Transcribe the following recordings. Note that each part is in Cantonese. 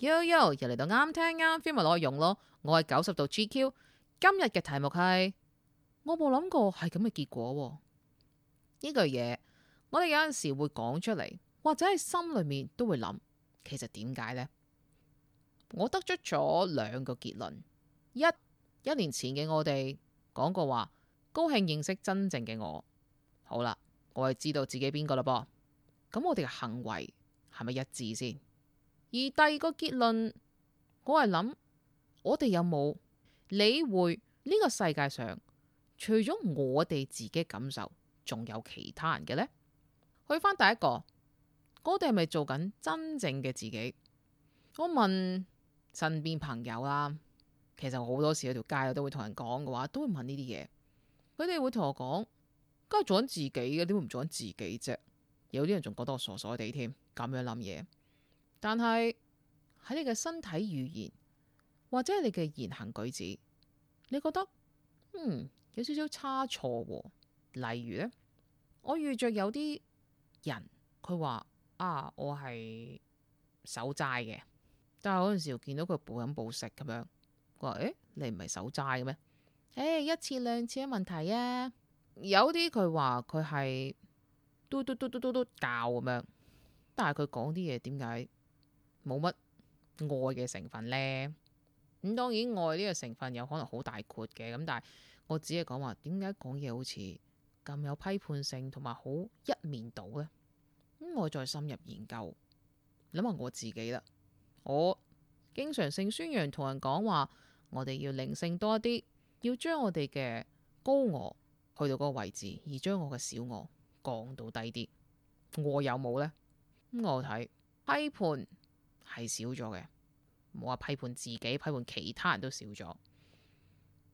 Yo，又嚟到啱聽啱 feel 咪攞嚟用咯。我係90度 GQ，今日嘅題目係我冇諗過係咁嘅結果喎。呢句嘢我哋有陣時會講出嚟，或者喺心裏面都會諗，其實點解呢？我得出咗兩個結論。一年前嘅我哋講過話，高興認識真正嘅我。好啦，我係知道自己邊個啦噃。咁我哋嘅行為係咪一致先？而第二個結論，我係諗我哋有冇理會呢個世界上除咗我哋自己感受，仲有其他人嘅呢？去翻第一個，我哋係咪做緊真正嘅自己？我問身邊朋友啦，其實我好多時喺條街我都會同人講嘅話，都會問呢啲嘢。佢哋會同我講，梗係做緊自己嘅，點會唔做緊自己啫？有啲人仲覺得我傻傻地添，咁樣諗嘢。但係喺你嘅身體語言或者係你嘅言行舉止，你覺得有少少差錯喎。例如呢，我遇着有啲人佢話我係守齋嘅，但係嗰陣時見到佢暴飲暴食咁樣，我話你唔係守齋嘅咩？一次兩次嘅問題啊。有啲佢話佢係嘟教咁樣，但係佢講啲嘢點解冇乜愛嘅成分呢？咁當然愛呢個成分有可能好大括嘅，咁但係我只係講話點解講嘢好似咁有批判性同埋好一面倒呢？咁我再深入研究，諗下我自己啦。我經常性宣揚同人講話，我哋要靈性多一啲，要將我哋嘅高我去到嗰個位置，而將我嘅小我降到低啲。我有冇呢？咁我睇批判係少咗嘅，冇話批判自己，批判其他人都少咗。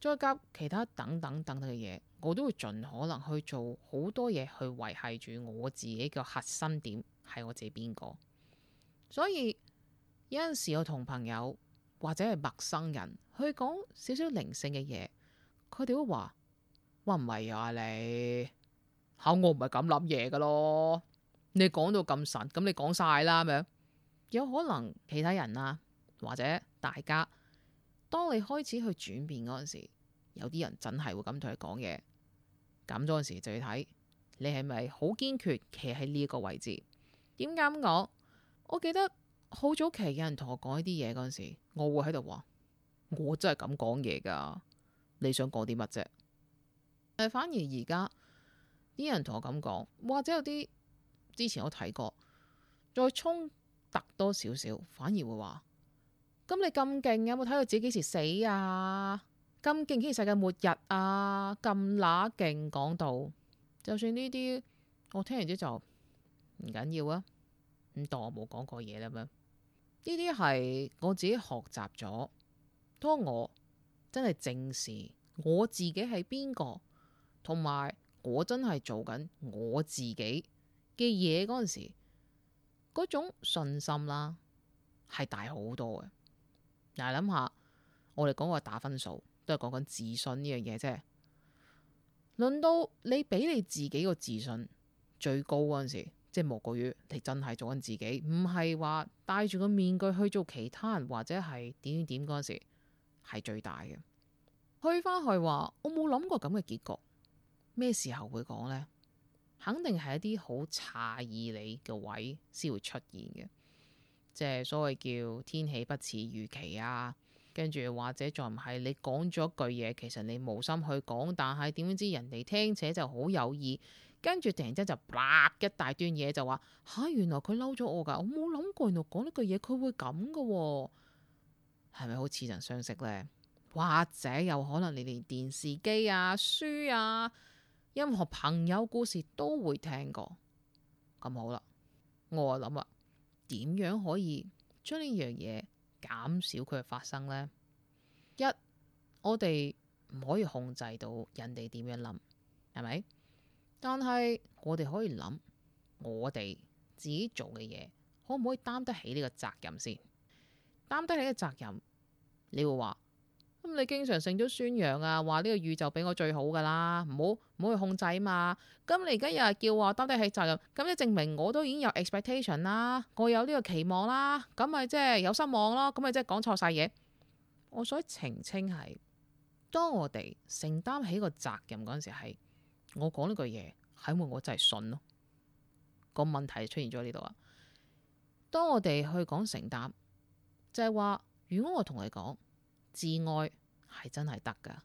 再加其他等等嘅嘢，我都會盡可能去做好多嘢去維繫住我自己嘅核心點係我自己邊個。所以有陣時我同朋友或者係陌生人去講少少靈性嘅嘢，佢哋都話唔係啊，你我唔係咁諗嘢噶咯。你講到咁神，咁你講晒啦咁樣。有可能其他人啊，或者大家，當你開始去轉變嗰陣時，有啲人真係會咁同你講嘢。咁嗰陣時就要睇你係咪好堅決企喺呢一個位置。點解咁講？我記得好早期有人同我講呢啲嘢嗰陣時，我會喺度話我真係咁講嘢噶，你想講啲乜啫？但反而而家啲人同我咁講，或者有啲之前我睇過，再衝突多少少，反而會話：咁你咁勁，有冇睇到自己幾時死啊？咁勁，幾時世界末日啊？咁乸勁講到，就算呢啲我聽完之後就唔緊要啊，咁當我冇講過嘢啦咩？呢啲係我自己學習咗，當我真係正視我自己係邊個，同埋我真係做緊我自己嘅嘢嗰陣時，嗰種信心啦係大好多嘅。嗱，諗下我哋講個打分數，都係講緊自信呢樣嘢啫。輪到你俾你自己個自信最高嗰陣時，即係莫過於你真係做緊自己，唔係話戴住個面具去做其他人或者係點嗰陣時，係最大嘅。去翻去話我冇諗過咁嘅結局，咩時候會講呢？肯定係一啲好詫異你嘅位先會出現嘅，即係所謂叫天氣不似預期啊。跟住或者再唔係你講咗句嘢，其實你無心去講，但係點知人哋聽且就好有意，跟住突然之間就啪一大段嘢就話原來佢嬲咗我噶，我冇諗過原來講呢句嘢佢會咁噶喎，係咪好似曾相識呢？或者有可能你連電視機啊、書啊、任何朋友故事都會聽過。咁好啦，我就諗啊，點樣可以將呢樣嘢減少佢嘅發生呢？一，我哋唔可以控制到人哋點樣諗，係咪？但係我哋可以諗，我哋自己做嘅嘢可唔可以擔得起呢個責任先？擔得起呢個責任，你會話咁你經常性都宣揚啊，話呢個宇宙俾我最好噶啦，唔好去控制嘛。咁你而家又係叫我擔得起責任，咁即證明我都已經有 expectation 啦，我有呢個期望啦，咁咪即係有失望咯，咁咪即係講錯晒嘢。我想澄清係，當我哋承擔起個責任嗰陣時，係我講呢句嘢係因為我真係信咯。個問題出現咗呢度啊。當我哋去講承擔，就係話，如果我同你講自愛係真係得噶，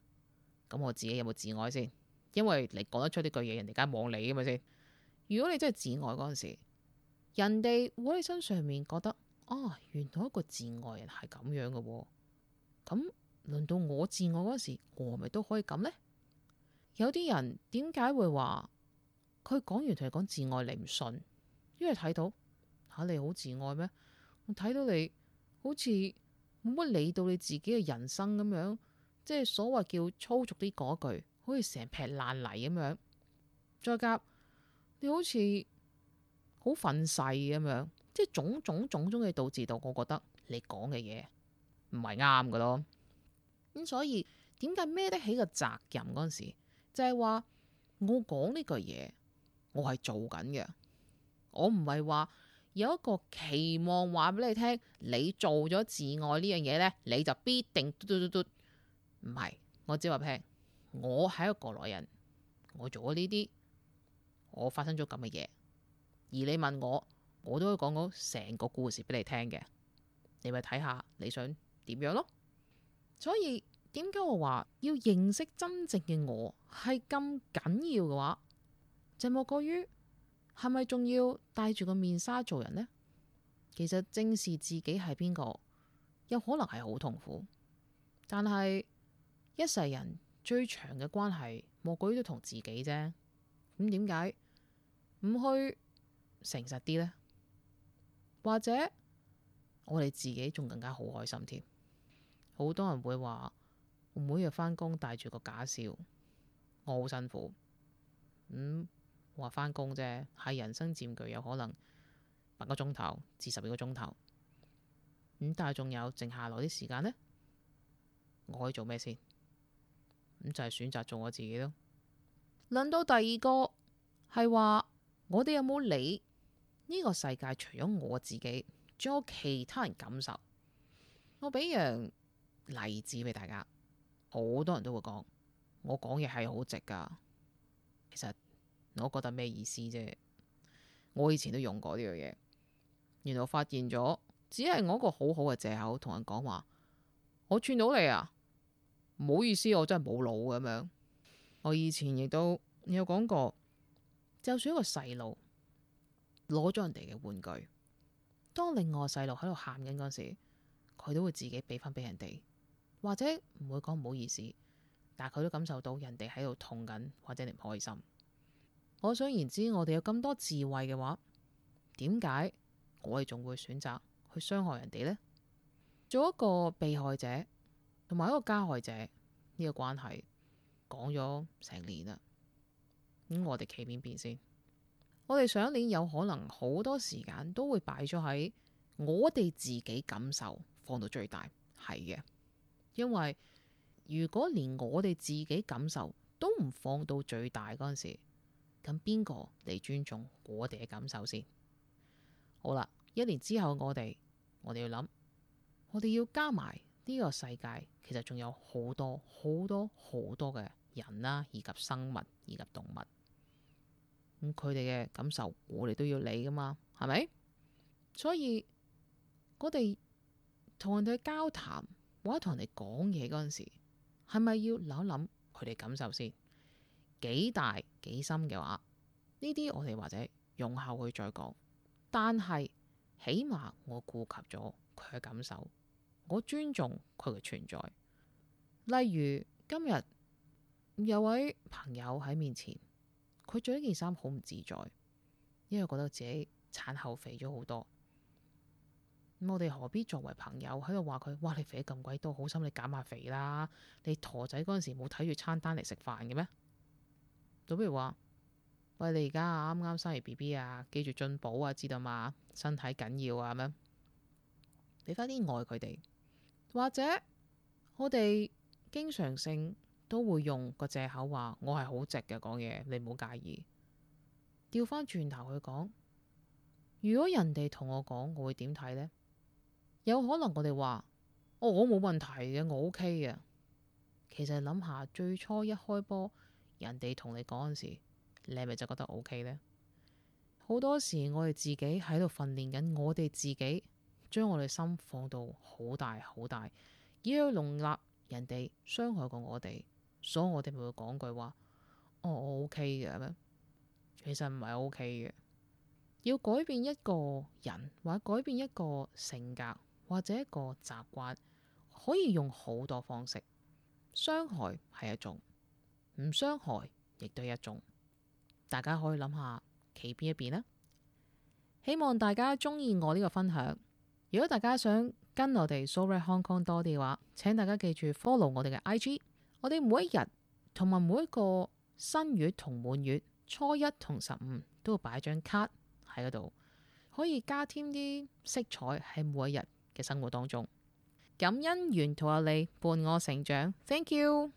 咁我自己有冇自愛先？因為你講得出呢句嘢，人哋梗係望你噶嘛先。如果你真係自愛嗰陣時，人哋會喺身上面覺得啊，原來一個自愛人係咁樣噶喎。咁輪到我自愛嗰時，我係咪都可以咁呢？有啲人點解會話佢講完同你講自愛你唔信？因為睇到吓你好自愛咩？我睇到你好似冇乜理到你自己嘅人生咁樣，即係所謂叫粗俗啲嗰句，好似成劈爛泥咁樣。再夾你好似好憤世咁樣，即係種種嘅導致到，我覺得你講嘅嘢唔係啱㗎咯。咁所以點解孭得起個責任嗰陣時，就係話我講呢句嘢，我係做緊嘅，我唔係話有一個期望話俾你聽，你做咗自愛呢樣嘢呢，你就必定嘟嘟嘟嘟，唔係，我只話聽，我係一個過來人，我做咗呢啲，我發生咗咁嘅嘢，而你問我，我都可以講講成個故事俾你聽嘅，你咪睇下你想點樣咯。所以點解我話要認識真正嘅我係咁緊要嘅話，就莫過於係咪仲要戴住個面紗做人呢？其實正視自己係邊個，有可能係好痛苦，但係一世人最長嘅關係，莫過於都同自己啫。咁點解唔去誠實啲呢？或者我哋自己仲更加好開心添。好多人會話我每日返工帶住個假笑，我好辛苦。話返工啫，係人生佔據有可能8個鐘頭至12個鐘頭。但係仲有剩下來啲時間呢，我可以做咩先？就係選擇做我自己咯。輪到第二個係話，我哋有冇理呢個世界？除咗我自己，仲有其他人感受。我俾樣例子俾大家，好多人都會講我講嘢係好直噶。其實我覺得咩意思啫？我以前都用過呢樣嘢，原來我發現咗，只係我一個好好嘅借口，同人講話我串到你啊，唔好意思，我真係冇腦咁樣。我以前亦都有講過，就算一個細路攞咗人哋嘅玩具，當另外細路喺度喊緊嗰時，佢都會自己俾翻俾人哋，或者唔會講唔好意思，但係佢都感受到人哋喺度痛緊或者你唔開心。可想而知，我哋有咁多智慧嘅話，點解我哋仲會選擇去傷害人哋呢？做一個被害者同埋一個加害者呢個關係講咗成年啦，我哋企邊邊先？我哋上一年有可能好多時間都會擺咗喺我哋自己感受放到最大，係嘅。因為如果連我哋自己感受都唔放到最大嗰陣時，咁邊個嚟尊重我哋嘅感受先？好啦，1年之後我哋要諗，我哋要加埋呢個世界，其實仲有好多嘅人啦，以及生物，以及動物。咁佢哋嘅感受，我哋都要理噶嘛，係咪？所以我哋同人哋交談或者同人哋講嘢嗰陣時，係咪要諗一諗佢哋感受先？幾大幾深嘅話，呢啲我哋或者用後去再講。但係起碼我顧及咗佢嘅感受，我尊重佢嘅存在。例如今日有位朋友喺面前，佢着呢件衫好唔自在，因為覺得自己產後肥咗好多。咁我哋何必作為朋友喺度話佢？哇！你肥得咁鬼多，好心你減下肥啦！你陀仔嗰陣時冇睇住餐單嚟食飯嘅咩？就比如話，喂，你而家啱啱生完 BB 啊，記住進補啊，知道嘛？身體緊要啊，咁樣俾翻啲愛佢哋。或者我哋經常性都會用個藉口話我係好直嘅講嘢，你唔好介意。調翻轉頭去講，如果人哋同我講，我會點睇呢？有可能我哋話我冇問題嘅，我 OK 嘅。其實諗下最初一開波，人哋同你講嗰時，你係咪就覺得 OK 呢？好多時我哋自己喺度訓練緊，我哋自己將我哋心放到好大好大，以去容納人哋傷害過我哋，所以我哋咪會講句話：我 OK 嘅咩？其實唔係 OK 嘅。要改變一個人，或者改變一個性格，或者一個習慣，可以用好多方式。傷害係一種，唔傷害亦都係一種。大家可以諗下企邊一邊呢？希望大家中意我呢個分享。如果大家想跟我哋 So Red Hong Kong 多啲嘅話，請大家記住 follow 我哋嘅 IG。我哋每一日同埋每一個新月同滿月，初一同15都會擺張卡喺嗰度，可以加添啲色彩喺每一日嘅生活當中。感恩沿途有你伴我成長，Thank you。